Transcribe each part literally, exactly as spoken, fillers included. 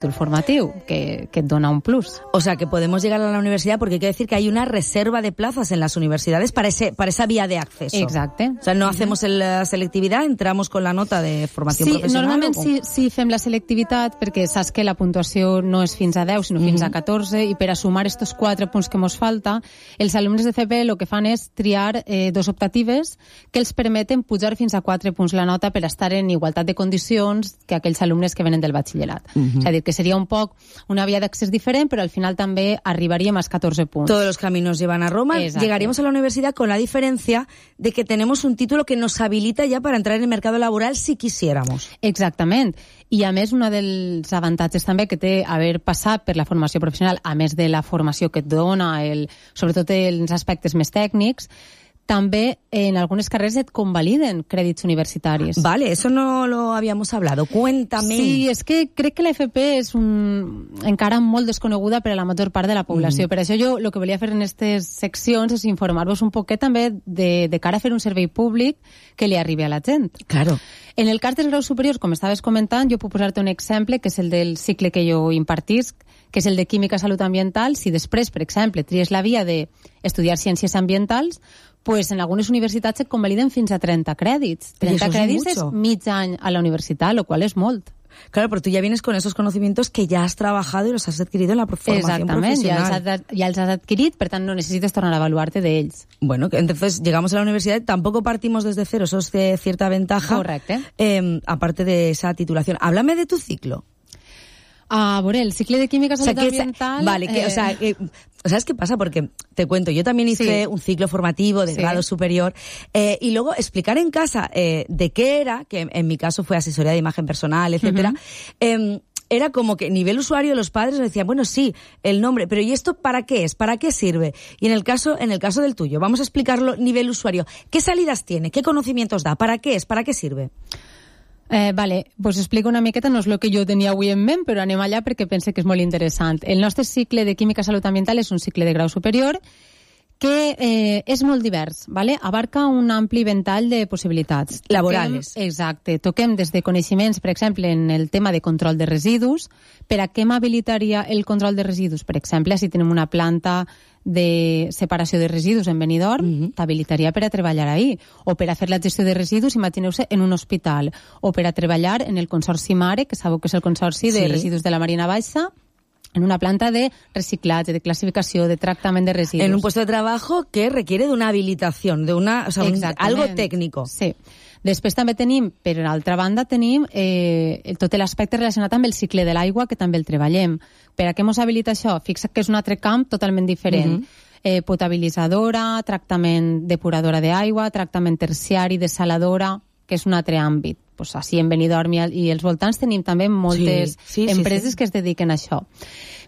formatiu, que, que dona un plus. O sea, que podemos llegar a la universidad porque hay que decir que hay una reserva de plazas en las universidades para ese para esa vía de acceso. Exacte. O sea, no hacemos la selectividad, entramos con la nota de formació sí, professional. Normalment sí, sí fem la selectivitat perquè saps que la puntuació no és fins a deu, sinó fins mm-hmm. a catorze, i per a sumar estos quatre punts que mos falta, els alumnes de F P el que fan és triar eh, dos optatives que els permeten pujar fins a quatre punts la nota per estar en igualtat de condicions que aquells alumnes que venen del batxillerat. Mm-hmm. És a dir, que seria un poc una vía de accés diferent, pero al final también arribaríamos a catorze puntos. Todos los caminos llevan a Roma. Exacto. Llegaríamos a la universidad con la diferencia de que tenemos un título que nos habilita ya para entrar en el mercado laboral si quisiéramos. Exactament. I a més, un dels avantatges també que té haver passat per la formació professional, a més de la formació que et dona, el, sobretot els aspectes més tècnics, també en algunes carreres et convaliden crèdits universitaris. Vale, eso no lo habíamos hablado. Cuéntame. Sí, és que crec que la F P és un... encara molt desconeguda per a la major part de la població. Mm. Per això jo el que volia fer en aquestes seccions és informar-vos un poquet també de, de cara a fer un servei públic que li arribi a la gent. Claro. En el cas dels graus superiors, com estaves comentant, jo puc posar-te un exemple, que és el del cicle que jo impartisc, que és el de Química, Salut Ambiental. Si després, per exemple, tries la via d'estudiar Ciències Ambientals, pues en algunes universitats et convaliden fins a trenta crèdits. trenta crèdits és mig any a la universitat, lo cual és molt. Claro, pero tú ya vienes con esos conocimientos que ya has trabajado y los has adquirido en la formación Exactament, profesional. Exactament, ja, els ja els has adquirit, per tant no necesites tornar a evaluarte de ells. Bueno, entonces llegamos a la universidad, tampoco partimos desde cero, eso es de cierta ventaja. Correcte. Eh, aparte de esa titulación. Háblame de tu ciclo. Ah, por el ciclo de Química, Salud o sea, que Ambiental... Esa, vale, que, eh... o sea... Que, ¿sabes qué pasa? Porque te cuento, yo también hice sí. un ciclo formativo de sí. grado superior eh, y luego explicar en casa eh, de qué era, que en, en mi caso fue asesoría de imagen personal, etcétera, uh-huh. eh, era como que nivel usuario los padres me decían, bueno, sí, el nombre, pero ¿y esto para qué es? ¿Para qué sirve? Y en el caso, en el caso del tuyo, vamos a explicarlo nivel usuario. ¿Qué salidas tiene? ¿Qué conocimientos da? ¿Para qué es? ¿Para qué sirve? Eh, vale, pues explico una miqueta, no és el que jo tenia avui en ment, però anem allà perquè pense que és molt interessant. El nostre cicle de Química Salut Ambiental és un cicle de grau superior que eh, és molt divers, ¿vale? Abarca un ampli ventall de possibilitats. Laborales. Toquem, exacte. Toquem des de coneixements, per exemple, en el tema de control de residus. Per a què m'habilitaria el control de residus? Per exemple, si tenim una planta de separació de residus en Benidorm, mm-hmm. t'habilitaria per a treballar ahí. O per a fer la gestió de residus, imagineu-se, en un hospital. O per a treballar en el Consorci Mare, que sabeu que és el Consorci de sí. Residus de la Marina Baixa, en una planta de reciclatge, de clasificació, de tractament de residus. En un puesto de trabajo que requiere de una habilitación, de una, o sea, un, algo técnico. Sí. Després també tenim, per altra banda, tenim eh, tot l'aspecte relacionat amb el cicle de l'aigua, que també el treballem. Per a què mos habilita això? Fixa't que és un altre camp totalment diferent. Uh-huh. eh, potabilitzadora, tractament depuradora d'aigua, tractament terciari, desaladora, que és un altre àmbit. Pues així en Benidorm i els voltants tenim també moltes sí, sí, empreses sí, sí. que es dediquen a això.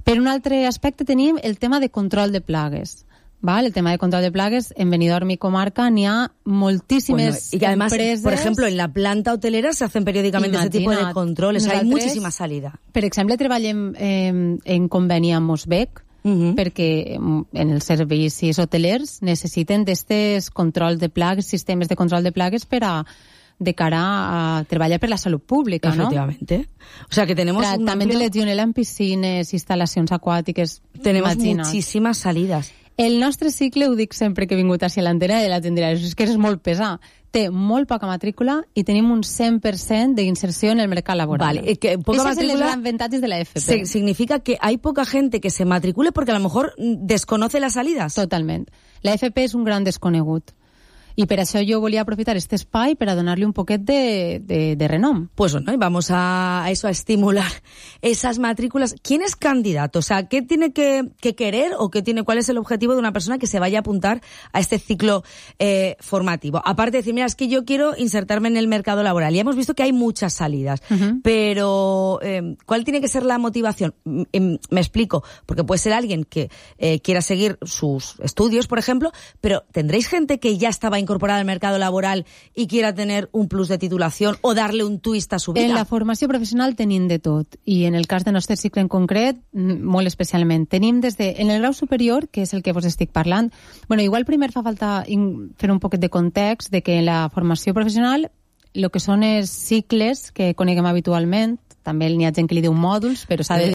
Per un altre aspecte tenim el tema de control de plagues. ¿Vale? El tema de control de plagues, en Benidorm y comarca n'hi ha moltíssimes bueno, y que además, empreses... por ejemplo, en la planta hotelera se hacen periódicamente Imagina't, este tipo de controles. Hay muchísima salida. Per exemple, treballem eh, en conveni amb Mosbec, uh-huh. perquè en els servicis hotelers necessiten d'estes controls de plagues, sistemes de control de plagues per a de cara a treballar per la salut pública, Efectivamente. ¿no? O sea, que tenemos... Tractament de legionel·la en piscines, instal·lacions aquàtiques... Tenemos imagina't. Muchísimas salidas. El nostre cicle, ho dic sempre que he vingut a l'antena, de la gent dirà, és que és molt pesat. Té molt poca matrícula i tenim un cent per cent d'inserció en el mercat laboral. Vale, que poca Ese matrícula es el gran avantatge de la F P. Se, significa que hay poca gente que se matricule porque a lo mejor desconoce las salidas. Totalment. La F P és un gran desconegut. Y por eso yo volia aprofitar este espai para donarle un poquet de, de, de renom. Pues bueno, y vamos a, a eso, a estimular esas matrículas. ¿Quién es candidato? O sea, ¿qué tiene que, que querer o qué tiene, cuál es el objetivo de una persona que se vaya a apuntar a este ciclo eh, formativo? Aparte de decir, mira, es que yo quiero insertarme en el mercado laboral. Ya hemos visto que hay muchas salidas, uh-huh. pero eh, ¿cuál tiene que ser la motivación? Me, me explico, porque puede ser alguien que eh, quiera seguir sus estudios, por ejemplo, pero ¿tendréis gente que ya estaba incorporada al mercado laboral y quiera tener un plus de titulación o darle un twist a su vida? En la formació professional tenim de tot, i en el cas del nostre cicle en concret, molt especialment. Tenim des de, en el grau superior, que és el que vos estic parlant, bueno, igual primer fa falta fer un poquet de context de que en la formació professional el que són els cicles que coneguem habitualment, també n'hi ha gent que li diu mòduls, però s'ha de